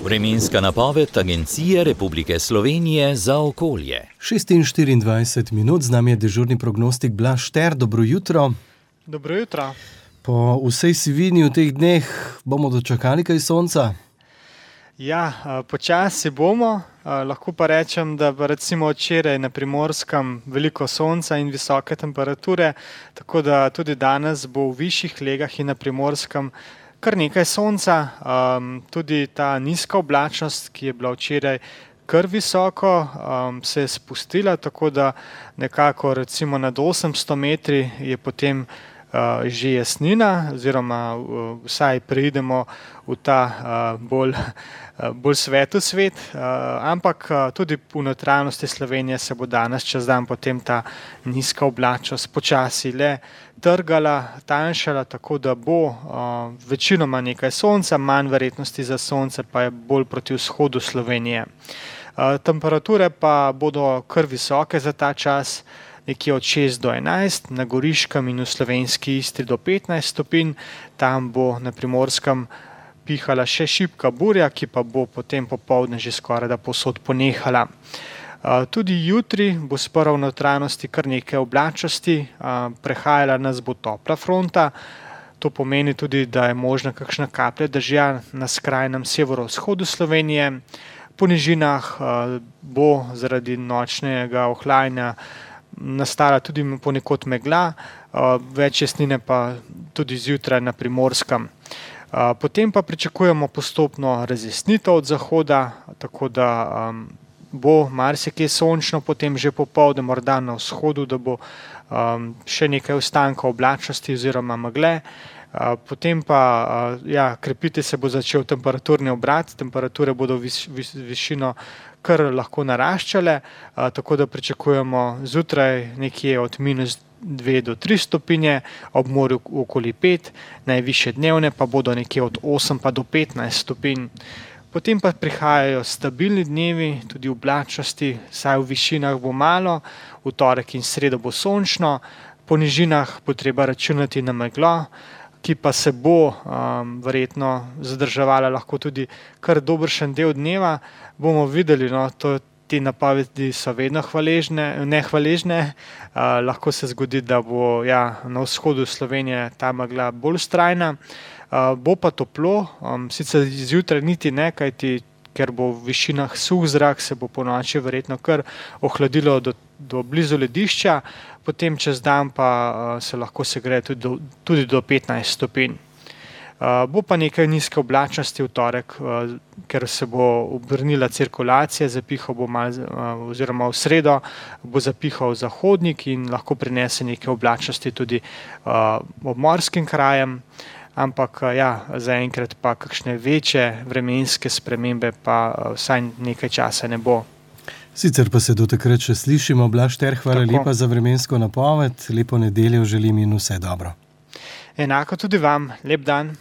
Vremenska napoved Agencije Republike Slovenije za okolje. 6:24 minut, z nami je dežurni prognostik Blaž Šter. Dobro jutro. Dobro jutro. Po vsej sivini v teh dneh bomo dočakali kaj sonca? Ja, počasi bomo. Lahko pa rečem, da recimo včeraj na Primorskem veliko sonca in visoke temperature, tako da tudi danes bo v višjih legah in na Primorskem kar nekaj sonca. Tudi ta nizka oblačnost, ki je bila včeraj kar visoko, se je spustila, tako da nekako recimo nad 800 metri je potem že jasnina, oziroma vsaj preidemo v ta bolj svetu svet, ampak tudi v notranjosti Slovenije se bo danes čez dan potem ta nizka oblačnost počasi le trgala, tanjšala, tako da bo večinoma nekaj sonca, manj verjetnosti za sonce pa je bolj proti vzhodu Slovenije. Temperature pa bodo kar visoke za ta čas, nekje od 6 do 11, na Goriškem in v Slovenski Istri do 15 stopinj, tam bo na Primorskem pihala še šibka burja, ki pa bo potem popoldne že skoraj da povsod ponehala. Tudi jutri bo sprva v notranjosti kar nekaj oblačnosti, prehajala nas bo topla fronta, to pomeni tudi, da je možna kakšna kaplja dežja na skrajnem severovzhodu Slovenije. Po nižinah bo zaradi nočnega ohlajanja nastala tudi ponekod megla, več jasnine pa tudi zjutraj na Primorskem. Potem pa pričakujemo postopno razjasnitev od zahoda, tako da bo marsikje sončno, potem že popoldne morda na vzhodu, da bo še nekaj ostankov oblačnosti oziroma megle. Potem pa krepiti se bo začel temperaturni obrat, temperature bodo višino kar lahko naraščale, tako da pričakujemo zjutraj nekje od -2 do 3 stopinje, ob morju okoli 5, najvišje dnevne pa bodo nekje od 8 pa do 15 stopinj. Potem pa prihajajo stabilni dnevi, tudi oblačnosti, saj v višinah bo malo, v torek in sredo bo sončno, po nižinah bo treba računati na meglo, ki pa se bo verjetno zadrževala lahko tudi kar dobršen del dneva. Bomo videli, te napovedi so vedno nehvaležne, lahko se zgodi, da bo na vzhodu Slovenije ta megla bolj vztrajna. Bo pa toplo, sicer zjutraj niti ne, kajti ker bo v višinah suh zrak, se bo ponoči verjetno kar ohladilo do blizu ledišča, potem čez dan pa se lahko segreje tudi do 15 stopinj. Bo pa nekaj nizke oblačnosti v torek, ker se bo obrnila cirkulacija, zapihal bo oziroma v sredo bo zapihal zahodnik in lahko prinese nekaj oblačnosti tudi obmorskim krajem. Ampak zaenkrat pa kakšne večje vremenske spremembe pa vsaj nekaj časa ne bo. Sicer pa se do takrat še slišimo. Blaž Šter, hvala lepa za vremensko napoved, lepo nedeljo želim in vse dobro. Enako tudi vam, lep dan.